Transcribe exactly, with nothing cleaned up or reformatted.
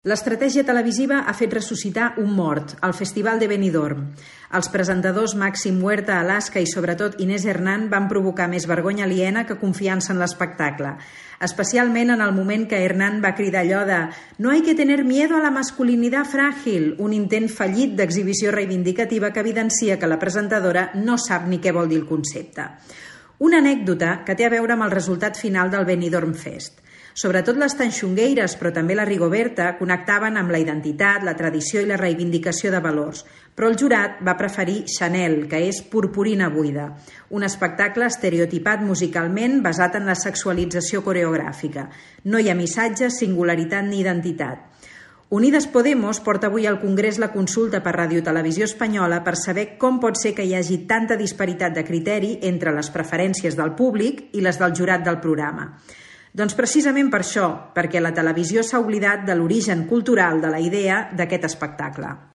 L'estratègia televisiva ha fet ressuscitar un mort, el Festival de Benidorm. Els presentadors Màxim Huerta, Alaska i sobretot Inés Hernán van provocar més vergonya aliena que confiança en l'espectacle. Especialment en el moment que Hernán va cridar allò de «No hay que tener miedo a la masculinidad frágil», un intent fallit d'exhibició reivindicativa que evidencia que la presentadora no sap ni què vol dir el concepte. Una anècdota que té a veure amb el resultat final del Benidorm Fest. Sobretot les tanxongueires, però també la Rigoberta, connectaven amb la identitat, la tradició i la reivindicació de valors. Però el jurat va preferir Chanel, que és purpurina buida, un espectacle estereotipat musicalment basat en la sexualització coreogràfica. No hi ha missatge, singularitat ni identitat. Unides Podemos porta avui al Congrés la consulta per Ràdio Televisió Espanyola per saber com pot ser que hi hagi tanta disparitat de criteri entre les preferències del públic i les del jurat del programa. Doncs precisament per això, perquè la televisió s'ha oblidat de l'origen cultural de la idea d'aquest espectacle.